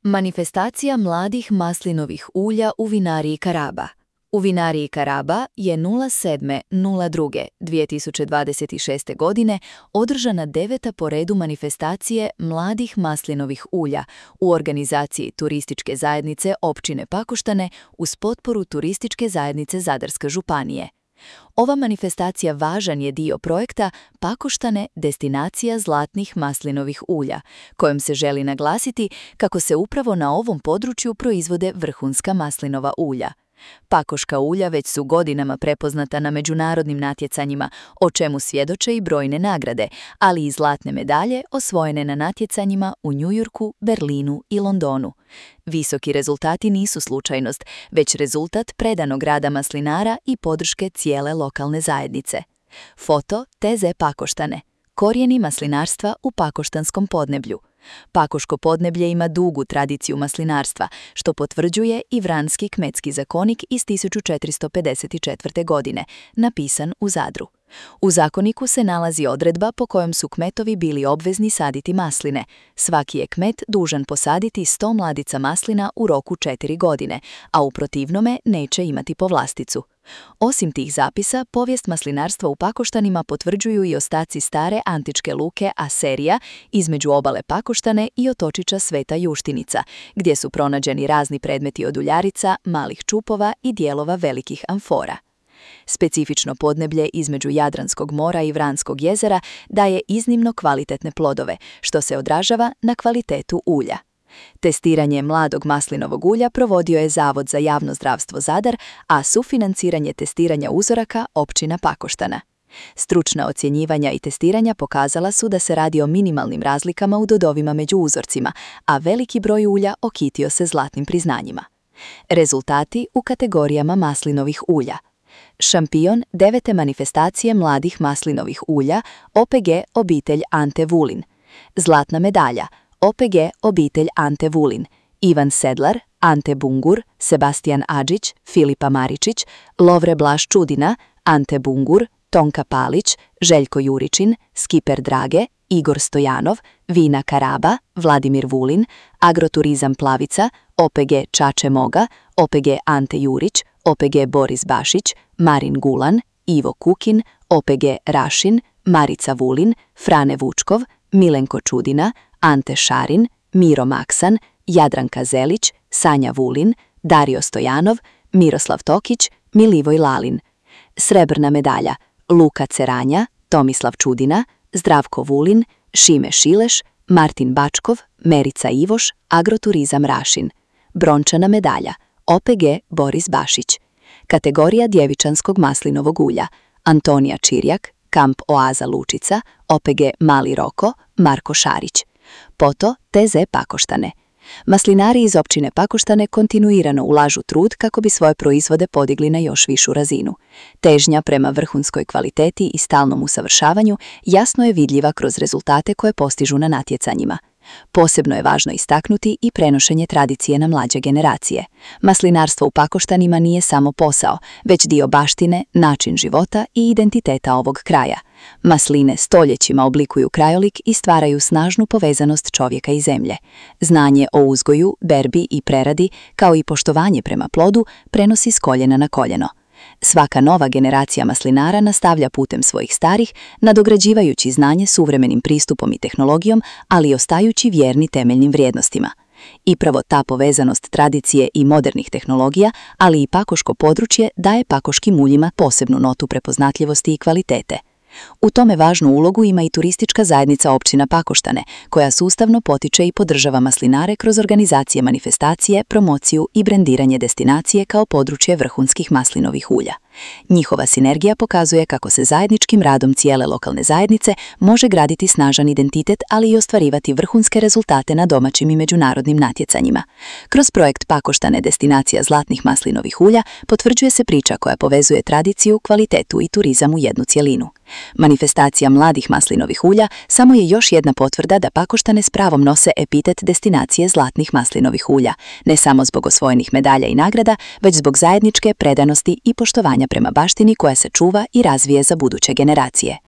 Manifestacija mladih maslinovih ulja u vinariji Karaba. U vinariji Karaba je 07.02.2026. godine održana 9. po redu manifestacije mladih maslinovih ulja u organizaciji Turističke zajednice općine Pakoštane uz potporu Turističke zajednice Zadarske županije. Ova manifestacija važan je dio projekta Pakoštane – destinacija zlatnih maslinovih ulja, kojom se želi naglasiti kako se upravo na ovom području proizvode vrhunska maslinova ulja. Pakoška ulja već su godinama prepoznata na međunarodnim natjecanjima, o čemu svjedoče i brojne nagrade, ali i zlatne medalje osvojene na natjecanjima u Njujorku, Berlinu i Londonu. Visoki rezultati nisu slučajnost, već rezultat predanog rada maslinara i podrške cijele lokalne zajednice. Foto TZ Pakoštane. Korijeni maslinarstva u pakoštanskom podneblju. Pakoško podneblje ima dugu tradiciju maslinarstva, što potvrđuje i Vranski kmetski zakonik iz 1454. godine, napisan u Zadru. U zakoniku se nalazi odredba po kojom su kmetovi bili obvezni saditi masline. Svaki je kmet dužan posaditi 100 mladica maslina u roku 4 godine, a u protivnome neće imati povlasticu. Osim tih zapisa, povijest maslinarstva u Pakoštanima potvrđuju i ostaci stare antičke luke Aserija između obale Pakoštane i otočića Sveta Juštinica, gdje su pronađeni razni predmeti od uljarica, malih čupova i dijelova velikih amfora. Specifično podneblje između Jadranskog mora i Vranskog jezera daje iznimno kvalitetne plodove, što se odražava na kvalitetu ulja. Testiranje mladog maslinovog ulja provodio je Zavod za javno zdravstvo Zadar, a sufinanciranje testiranja uzoraka općina Pakoštana. Stručna ocjenjivanja i testiranja pokazala su da se radi o minimalnim razlikama u dodovima među uzorcima, a veliki broj ulja okitio se zlatnim priznanjima. Rezultati u kategorijama maslinovih ulja. Šampion 9. manifestacije mladih maslinovih ulja OPG obitelj Ante Vulin. Zlatna medalja OPG obitelj Ante Vulin. Ivan Sedlar, Ante Bungur, Sebastijan Adžić, Filipa Maričić, Lovre Blaž Čudina, Ante Bungur, Tonka Palić, Željko Juričin, Skiper Drage, Igor Stojanov, Vina Karaba, Vladimir Vulin, Agroturizam Plavica, OPG Čače Moga, OPG Ante Jurić, OPG Boris Bašić, Marin Gulan, Ivo Kukin, OPG Rašin, Marica Vulin, Frane Vučkov, Milenko Čudina, Ante Šarin, Miro Maksan, Jadranka Zelić, Sanja Vulin, Dario Stojanov, Miroslav Tokić, Milivoj Lalin. Srebrna medalja Luka Ceranja, Tomislav Čudina, Zdravko Vulin, Šime Šileš, Martin Bačkov, Merica Ivoš, Agroturizam Rašin. Brončana medalja OPG Boris Bašić. Kategorija djevičanskog maslinovog ulja Antonija Čirjak, Kamp Oaza Lučica, OPG Mali Roko, Marko Šarić. Poto TZ Pakoštane. Maslinari iz općine Pakoštane kontinuirano ulažu trud kako bi svoje proizvode podigli na još višu razinu. Težnja prema vrhunskoj kvaliteti i stalnom usavršavanju jasno je vidljiva kroz rezultate koje postižu na natjecanjima. Posebno je važno istaknuti i prenošenje tradicije na mlađe generacije. Maslinarstvo u Pakoštanima nije samo posao, već dio baštine, način života i identiteta ovog kraja. Masline stoljećima oblikuju krajolik i stvaraju snažnu povezanost čovjeka i zemlje. Znanje o uzgoju, berbi i preradi, kao i poštovanje prema plodu, prenosi s koljena na koljeno. Svaka nova generacija maslinara nastavlja putem svojih starih, nadograđivajući znanje suvremenim pristupom i tehnologijom, ali i ostajući vjerni temeljnim vrijednostima. I pravo ta povezanost tradicije i modernih tehnologija, ali i pakoško područje daje pakoškim uljima posebnu notu prepoznatljivosti i kvalitete. U tome važnu ulogu ima i Turistička zajednica općina Pakoštane, koja sustavno potiče i podržava maslinare kroz organizacije manifestacije, promociju i brendiranje destinacije kao područje vrhunskih maslinovih ulja. Njihova sinergija pokazuje kako se zajedničkim radom cijele lokalne zajednice može graditi snažan identitet, ali i ostvarivati vrhunske rezultate na domaćim i međunarodnim natjecanjima. Kroz projekt Pakoštane – destinacija zlatnih maslinovih ulja potvrđuje se priča koja povezuje tradiciju, kvalitetu i turizam u jednu cjelinu. Manifestacija mladih maslinovih ulja samo je još jedna potvrda da Pakoštane s pravom nose epitet destinacije zlatnih maslinovih ulja, ne samo zbog osvojenih medalja i nagrada, već zbog zajedničke predanosti i poštovanja prema baštini koja se čuva i razvije za buduće generacije.